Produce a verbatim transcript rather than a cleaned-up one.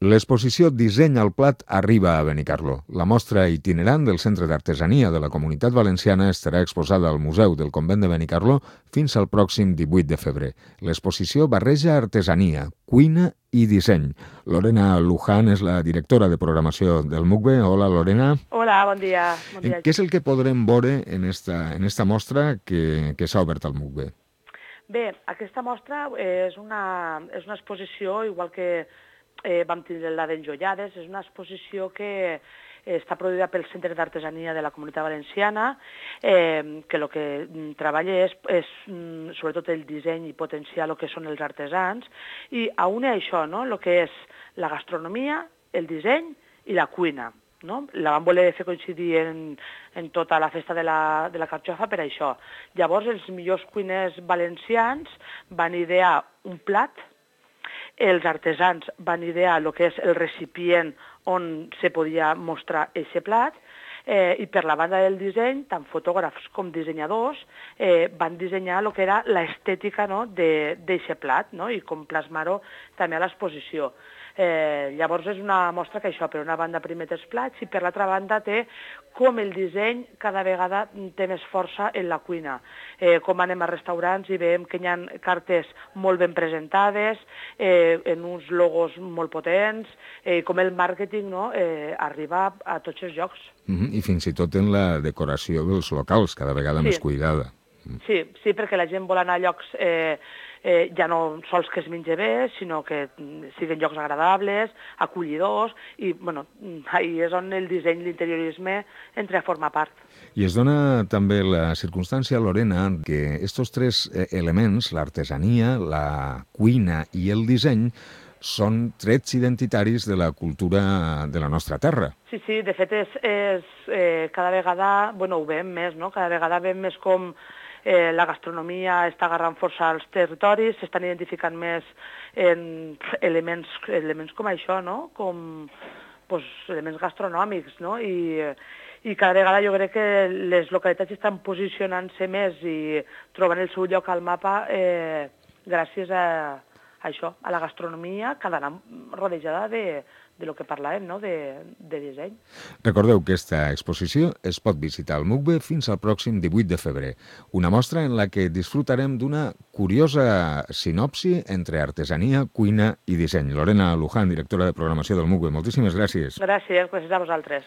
L'exposició Disseny al plat arriba a Benicarló. La mostra itinerant del Centre d'Artesania de la Comunitat Valenciana estarà exposada al Museu del Convent de Benicarló fins al pròxim divuit de febrer. L'exposició barreja artesania, cuina i disseny. Lorena Luján és la directora de programació del M U C B. Hola, Lorena. Hola, bon dia. Bon dia. Què és el que podrem veure en esta, en esta mostra que, que s'ha obert al M U C B? Bé, aquesta mostra és una, és una exposició, igual que eh, vam tindre la d'Enjollades, és una exposició que està produïda pel Centre d'Artesania de la Comunitat Valenciana, eh, que el que treballa és, és sobretot el disseny i potenciar el que són els artesans, i a une això, no?, el que és la gastronomia, el disseny i la cuina. No? La vam voler fer coincidir en, en tota la festa de la, de la carxofa per això. Llavors, els millors cuiners valencians van idear un plat, els artesans van idear el que és el recipient on se podia mostrar aquest plat, eh, i per la banda del disseny, tant fotògrafs com dissenyadors eh, van dissenyar el que era l'estètica, no?, d'aquest plat, no?, i com plasmar-ho també a l'exposició. Eh, llavors és una mostra que això, per una banda primer té els plats i per l'altra banda té com el disseny cada vegada té més força en la cuina. Eh, com anem a restaurants i veiem que hi ha cartes molt ben presentades, eh, en uns logos molt potents, eh, com el màrqueting, no?, eh, arriba a tots els llocs. Mm-hmm. I fins i tot en la decoració dels locals, cada vegada sí. més cuidada. Sí, sí, perquè la gent vol anar a llocs eh, eh, ja no sols que es menja bé, sinó que siguin llocs agradables, acollidors, i bueno, ahí és on el disseny, l'interiorisme entra a formar part. I es dona també la circumstància, Lorena, que estos tres elements, l'artesania, la cuina i el disseny, són trets identitaris de la cultura de la nostra terra. Sí, sí, de fet, és, és eh, cada vegada, bueno, ho veiem més, no?, cada vegada veiem més com Eh, la gastronomia està agarrant força als territoris, s'estan identificant més en elements, elements com això, no?, com pues, elements gastronòmics, no?, I, i cada vegada jo crec que les localitats estan posicionant-se més i trobant el seu lloc al mapa eh, gràcies a, a això, a la gastronomia, que ha d'anar rodejada de, de lo que parlàvem, no?, de, de disseny. Recordeu que aquesta exposició es pot visitar al M U C B fins al pròxim divuit de febrer. Una mostra en la que disfrutarem d'una curiosa sinopsi entre artesania, cuina i disseny. Lorena Luján, directora de programació del M U C B, moltíssimes gràcies. Gràcies, gràcies a vosaltres.